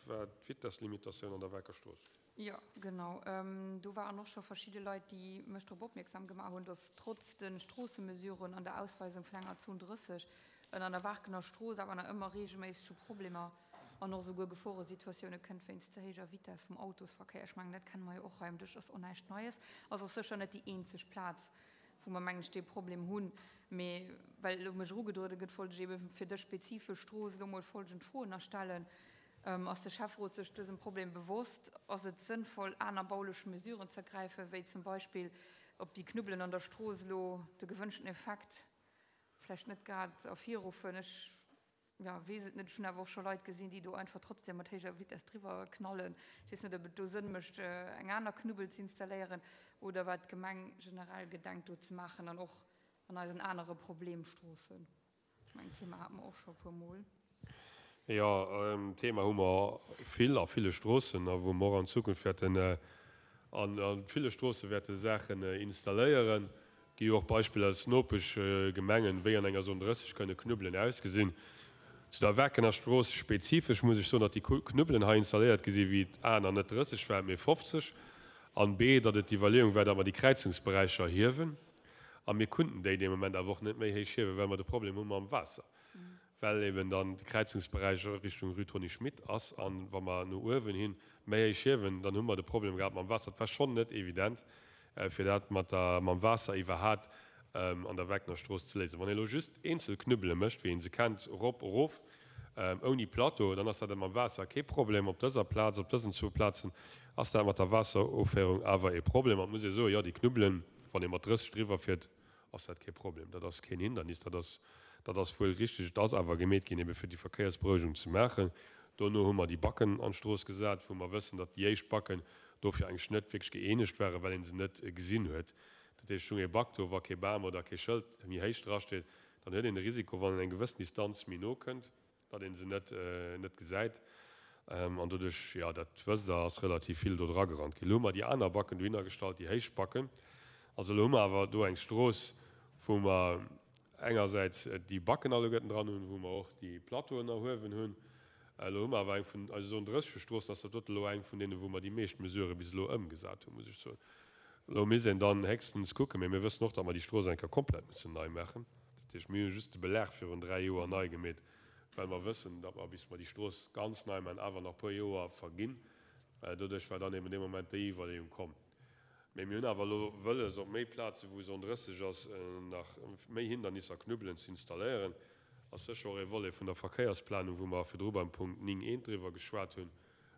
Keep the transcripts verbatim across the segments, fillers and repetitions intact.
war d'Vitesslimitatioun an der Waarker Strooss. Jo, genau. Do waren och scho verschidde Leit, déi mech drop opmierksam gemaach hunn, dass trotz de Stroossemesuren an der Ausweisung vun enger Zon drësseg et an der Waarkener Strooss awer nach ëmmer reegelméisseg zu Problemer an och esouguer Geforesituatioune kënnt wéinst ze héijer Vitess vum Autosverkéier. Ech mengen, dat kenne mer jo och hei um Dësch, ass och näischt Neies. Ass och sécher net déi eenzeg Plaz, wou mer, mengen ech, dee Problem hunn. Mee well elo mech erugedruede gëtt, wollt ech eebe fir dës spezifesch Strooss elo mol folgend Froen nach stellen, Ass de Schäfferot sech dësem Problem bewosst? Ass et sënnvoll, aner baulech Mesuren ze ergräifen, wéi zum Beispill op déi Knubbelen an der Strooss elo de gewënschten Effekt vläicht net grad ervirruffen? Ech, jo, weess et net. Ech hunn awer och scho Leit gesinn, déi do einfach trotzdem mat héijer Vitess driwwer knallen. Ech weess net, ob et do Sënn mécht, eng aner Knubbel ze installéieren oder wat d'Gemeng generell gedenkt do ze maachen an och an eisen anere Problemstroossen. Ech mengen, d'Thema hate mer och scho e puermol. Jo, d'Thema hu mer vill a ville Stroossen a wou mer och an Zukunft wäerten a ville Stroosse wäerte Saachen installéieren. Gi jo och Beispiller aus Nopeschgemengen, wéi an enger Zone drësseg kënne Knubbelen ausgesinn. Zu der Waarkener Strooss spezifesch muss ech soen, datt déi Knubbelen hei installéiert gi sinn, wéi et A nach net drësseg war, mee fofzeg, an B, datt et d'Iwwerleeung war, datt mer déi Kräizungsberäicher hiewen. A mir kunnten déi dee Moment awer och net méi héich hiewen, well mer de Problem hu mam Waasser, well eben dann de Kräizungsberäich Richtung Rue Tony Schmit ass. A wa mer no uewen hi méi héich hiewen, dann hu mer de Problem gehat mam Waasser. Et war schonn net evident, fir dat mat der, mam Waasser iwwerhat an der Wagnerstrooss ze léisen. Wann ee elo just eenzel Knubbele mécht, wéi ee se kennt, erop, erof, ouni Plateau, dann ass dat mam Waasser kee Problem. Op dëser Plaz, op dësen zwou Plazen ass dat mat der Waasseroféierung awer ee Problem. An et muss ee soen, jo, déi Knubbelen, wann ee mat drësseg driwwer fiert, ass dat kee Problem. Dat ass keen Hindernis, dat ass, dat ass wuel richteg. Et ass awer gemeet ginn, ebe fir déi Verkéiersberouegung ze maachen. Dono hu mer déi Backen an d'Strooss gesat, wou mer wëssen, datt déi éischt Backen dofir eigentlech net wierklech gëeenegt waren, well ee se net gesinn huet. Dat heescht, et stung ee Back do, wa kee Bam oder kee Schëld méi héich drasteet, dann huet een de Risiko, wann een eng gewëssen Distanz méi no kënnt, datt ee se net, net gesäit. An doduerch, jo, dat wësst Der, ass relativ vill do dragerannt ginn. Elo hu mer déi aner Backen dohinner gestallt, déi héich Backen. Also elo hu mer awer do eng Strooss, wou mer engersäits déi Backen alleguerten dran hunn, wou mer och déi Plateauen erhuewen hunn. Elo hu mer awer eng vun eise Zone drësseg Stroossen, ass dat dote elo eng vun deenen, wou mer déi meescht Mesurë bis elo ëmgesat hunn, muss ech soen. Elo misst een dann héchstens kucken, mee mir wëssen och, datt mer déi Strooss eng Kéier komplett mussen nei maachen. Dat heescht, mir hu just de Belag virun dräi Joer nei gemeet, well mer wëssen, datt mer, bis mer déi Strooss ganz nei maachen, awer nach e puer Joer verginn. Doduerch war dann eben dee Moment déi Iwwerleeung komm. Mee mir hunn awer elo wëlles, op méi Plazen, wou Zone drësseg ass, nach méi Hindernisser, Knubbelen ze installéieren. Ass sécher och ee Volet vun der Verkéiersplanung, wou mer virdru beim Punkt néng eent driwwer geschwat hunn,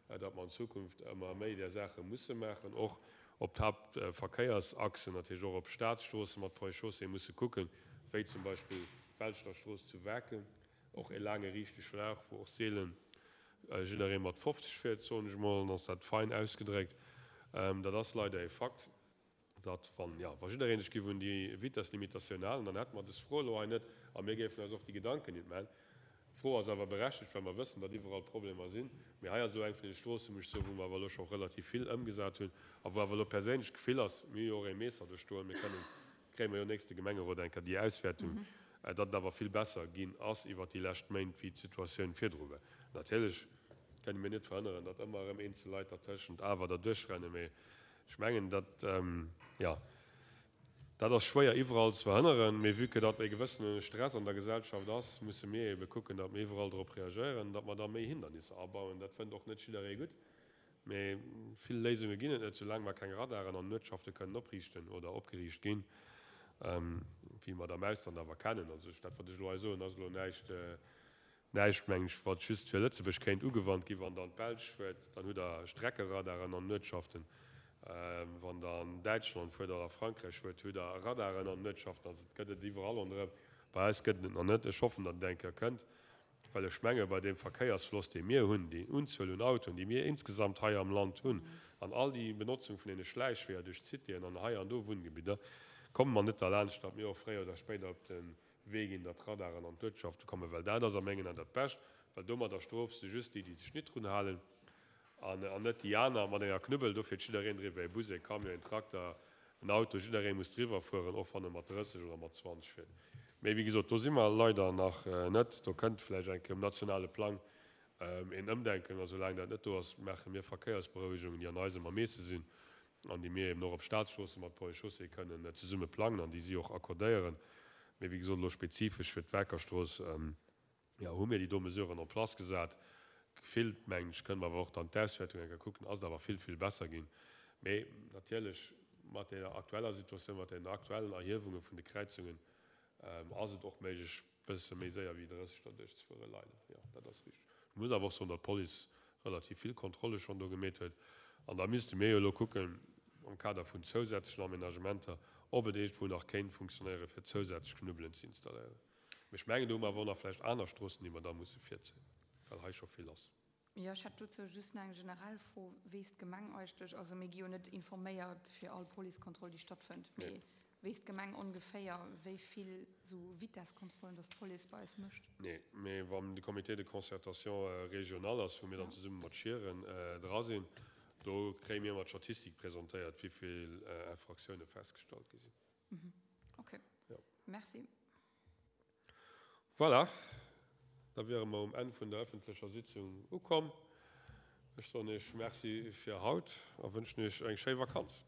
datt mer an Zukunft ëmmer méi där Saache musse maachen, och op d'Haaptverkéiersachsen, natierlech och op Staatsstroosse mat Ponts et Chaussées musse kucken, wéi zum Beispill d'Welschterstrooss zu Waarken, och ee laange riichte Schlauch, wou och seelen jidderee mat fofzeg fiert, soen ech emol, dann ass dat fein ausgedréckt. Dat ass leider ee Fakt, datt wann, jo, wa jidderee sech géif un déi Vitesslimitatioun halen, dann hätte mer dës Fro elo hei net a mir géifen eis och déi Gedanken nit maachen. D'Fro ass awer berechtegt, well mer wëssen, datt iwwerall Problemer sinn. Mee hei ass elo eng vun deene Stroossen, muss ech soen, wou mer awer elo scho relativ vill ëmgesat hunn a wou awer elo perséinlech d'Gefill ass, mir hu jo och ee Meesser do stoen, mir kënnen, kréie mer jo nächste Gemengerot eng Kéier déi Auswäertung, datt et awer vill besser ginn ass iwwert déi lescht Méint, wéi d'Situatioun virdru war. Natierlech kënne mir net verhënneren, datt ëmmer erëm eenzel Leit dertëschent awer derduerch rennen, mee ech mengen, datt, jo, dat ass schwéier iwwerall ze verhënneren. Mee vue que datt e gewëssene Stress an der Gesellschaft ass, musse mir eebe kucken, datt mir iwwerall drop reagéieren, datt mer da méi Hindernisser abauen. Dat fënnt och net jidderee gutt. Mee vill Léisunge ginn et net, soulaang mer keng Radaren an Uertschafte kënnen opriichten oder opgeriicht ginn, wéi mer et am Ausland awer kennen. Also dat, wat ech elo hei soen, ass elo näischt, näischt, mengen ech, wat just fir Lëtzebuerg kéint ugewannt ginn. Wann Der an d'Belsch fuert, dann hutt Der Streckeradaren an Uertschaften. Wann Der an Däitschland fuert oder a Frankräich fuert, hutt Der Radaren an Uertschaften. Also et gëtt et iwwerall ronderëm. Bei eis gëtt et et nach net. Ech hoffen, datt et eng Kéier kënnt. Well ech menge bei deem Verkéiersfloss, dee mir hunn, déi Unzuel un Autoen, déi mir insgesamt hei am Land hunn, an all déi Benotzung vun deene Schläichweeër duerch d'Citéen an hei an do Wunngebidder, komme mer net derlaanscht, datt mir och fréier oder spéider op de Wee ginn, datt d'Radaren an d'Uertschafte kommen. Well dat ass a mengen Aen dat Bescht, well domadder strofs de just déi, déi sech nit drun halen, an net déi aner mat enger Knubbel. Do fiert jiddereen driwwer, e Bus, e Camion, en Trakter, en Auto, jidderee muss driwwer fueren, och wann e mat drësseg oder mat zwanzeg fiert. Mee wéi gesot, do si mer leider nach net. Do kënnt vläicht eng Kéier um nationale Plang een Ëmdenken. A soulaang dat net do ass, maache mir Verkéiersberouegungen, déi an eisem Ermeesse sinn an déi mir eben och op Staatsstroosse mat Ponts et Chaussées kënnen zesumme plangen an déi si och accordéieren. Mee wéi gesot, elo spezifesch fir d'Werkerstrooss, jo, hu mir déi do Mesuren en place gesat. Gefillt, mengen ech, kënne mer awer och dann d'Auswäertung eng Kéier kucken, ass et awer vill, vill besser ginn. Mee natierlech mat deeër aktueller Situatioun, mat deenen aktuellen Erhiewunge vun de Kräizungen, ass et och méiglech, bësse méi séier wéi drësseg derduerch ze fueren, leider. Jo, dat ass richteg. Ech muss awer och soen, datt d'Police relativ vill Kontrolle schonn do gemeet huet. An da misste mir jo elo kucken, am Kader vun zousätzlechen Aménagementer, ob et iergendwou nach kéint funktionéieren, fir zousätzlech Knubbelen ze installéieren. Mee ech mengen, do hu mer awer och nach vläicht aner Stroossen, déi mer da musse virzéien, well hei scho vill ass. Jo, ech hätt dozou just nach eng generell Fro. Weess d'Gemeng eigentlech, also mir gi jo net informéiert fir all Policekontroll, déi stattfënnt, mee weess d'Gemeng ongeféier, wéi vill esou Vitesskontrollen dass d'Police bei eis mécht? Nee, mee wann de Comité de concertation régional ass, wou mir dann zesumme mat Schieren dra sinn, do kréie mir ëmmer d'Statistik presentéiert, wéi vill Infractiounen festgestallt gi sinn. Ok, merci. Voilà, da wiere mer um Enn vun der öffentlecher Sitzung ukomm. Ech soen Iech Merci fir haut a wënschen Iech eng schéi Vakanz.